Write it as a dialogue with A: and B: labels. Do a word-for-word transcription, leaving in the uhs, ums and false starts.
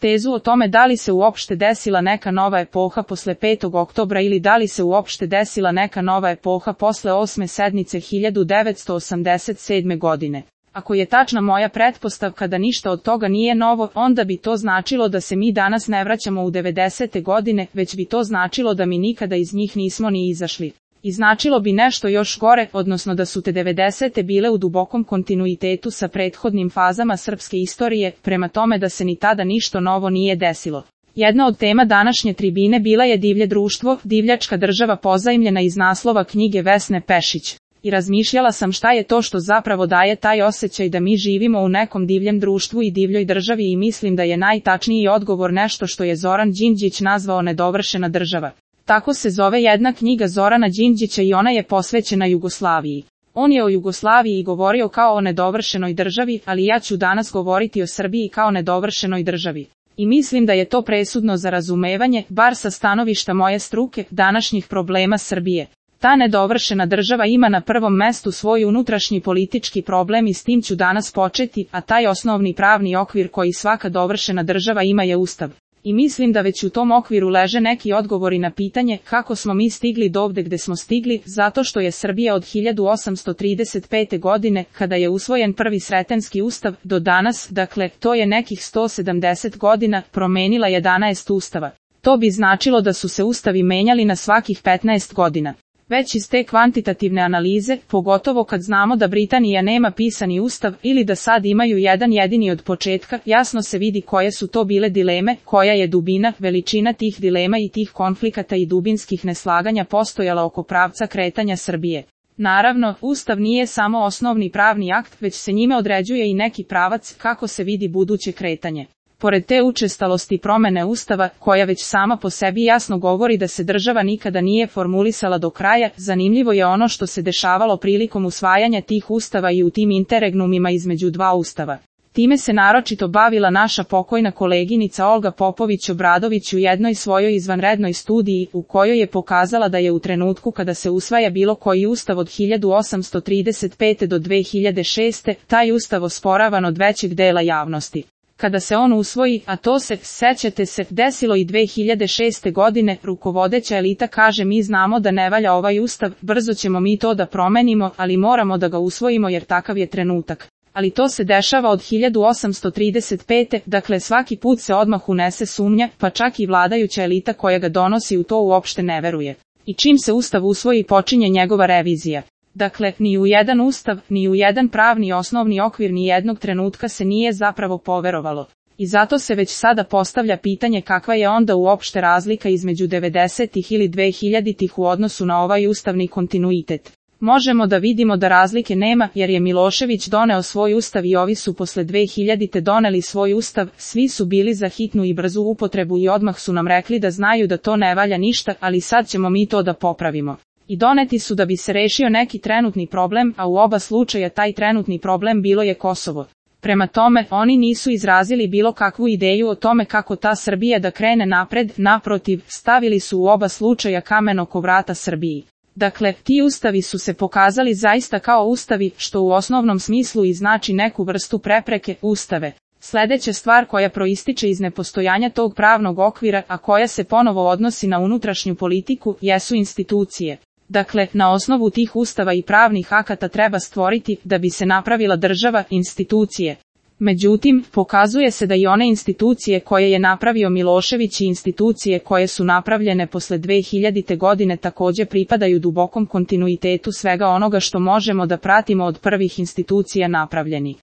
A: Tezu o tome da li se uopšte desila neka nova epoha posle petog oktobra ili da li se uopšte desila neka nova epoha posle osme sednice hiljadu devetsto osamdeset sedme. godine. Ako je tačna moja pretpostavka da ništa od toga nije novo, onda bi to značilo da se mi danas ne vraćamo u devedesete. godine, već bi to značilo da mi nikada iz njih nismo ni izašli. I značilo bi nešto još gore, odnosno da su te devedesete bile u dubokom kontinuitetu sa prethodnim fazama srpske istorije, prema tome da se ni tada ništa novo nije desilo. Jedna od tema današnje tribine bila je divlje društvo, divljačka država pozajmljena iz naslova knjige Vesne Pešić. I razmišljala sam šta je to što zapravo daje taj osjećaj da mi živimo u nekom divljem društvu i divljoj državi i mislim da je najtačniji odgovor nešto što je Zoran Đinđić nazvao nedovršena država. Tako se zove jedna knjiga Zorana Đinđića i ona je posvećena Jugoslaviji. On je o Jugoslaviji govorio kao o nedovršenoj državi, ali ja ću danas govoriti o Srbiji kao nedovršenoj državi. I mislim da je to presudno za razumevanje, bar sa stanovišta moje struke, današnjih problema Srbije. Ta nedovršena država ima na prvom mestu svoj unutrašnji politički problem i s tim ću danas početi, a taj osnovni pravni okvir koji svaka dovršena država ima je Ustav. I mislim da već u tom okviru leže neki odgovori na pitanje kako smo mi stigli dovde gde smo stigli, zato što je Srbija od hiljadu osamsto trideset pete. godine, kada je usvojen prvi Sretenski ustav, do danas, dakle, to je nekih sto sedamdeset godina, promenila jedanaest ustava. To bi značilo da su se ustavi menjali na svakih petnaest godina. Već iz te kvantitativne analize, pogotovo kad znamo da Britanija nema pisani ustav ili da sad imaju jedan jedini od početka, jasno se vidi koje su to bile dileme, koja je dubina, veličina tih dilema i tih konflikata i dubinskih neslaganja postojala oko pravca kretanja Srbije. Naravno, ustav nije samo osnovni pravni akt, već se njime određuje i neki pravac kako se vidi buduće kretanje. Pored te učestalosti promene ustava, koja već sama po sebi jasno govori da se država nikada nije formulisala do kraja, zanimljivo je ono što se dešavalo prilikom usvajanja tih ustava i u tim interregnumima između dva ustava. Time se naročito bavila naša pokojna koleginica Olga Popović-Obradović u jednoj svojoj izvanrednoj studiji, u kojoj je pokazala da je u trenutku kada se usvaja bilo koji ustav od hiljadu osamsto trideset pete. do dve hiljade šeste. taj ustav osporavan od većeg dela javnosti. Kada se on usvoji, a to se, sećate se, desilo i dve hiljade šeste. godine, rukovodeća elita kaže mi znamo da ne valja ovaj ustav, brzo ćemo mi to da promenimo, ali moramo da ga usvojimo jer takav je trenutak. Ali to se dešava od hiljadu osamsto trideset pete. dakle svaki put se odmah unese sumnja, pa čak i vladajuća elita koja ga donosi u to uopšte ne veruje. I čim se ustav usvoji počinje njegova revizija. Dakle, ni u jedan ustav, ni u jedan pravni osnovni okvir ni jednog trenutka se nije zapravo poverovalo. I zato se već sada postavlja pitanje kakva je onda uopšte razlika između devedesetih ili dvehiljaditih u odnosu na ovaj ustavni kontinuitet. Možemo da vidimo da razlike nema jer je Milošević doneo svoj ustav i ovi su posle dvehiljadite doneli svoj ustav, svi su bili za hitnu i brzu upotrebu i odmah su nam rekli da znaju da to ne valja ništa, ali sad ćemo mi to da popravimo. I doneti su da bi se rešio neki trenutni problem, a u oba slučaja taj trenutni problem bilo je Kosovo. Prema tome, oni nisu izrazili bilo kakvu ideju o tome kako ta Srbija da krene napred, naprotiv, stavili su u oba slučaja kamen oko vrata Srbiji. Dakle, ti ustavi su se pokazali zaista kao ustavi, što u osnovnom smislu i znači neku vrstu prepreke, ustave. Sljedeća stvar koja proističe iz nepostojanja tog pravnog okvira, a koja se ponovo odnosi na unutrašnju politiku, jesu institucije. Dakle, na osnovu tih ustava i pravnih akata treba stvoriti, da bi se napravila država, institucije. Međutim, pokazuje se da i one institucije koje je napravio Milošević i institucije koje su napravljene posle dvehiljadite. godine također pripadaju dubokom kontinuitetu svega onoga što možemo da pratimo od prvih institucija napravljeni.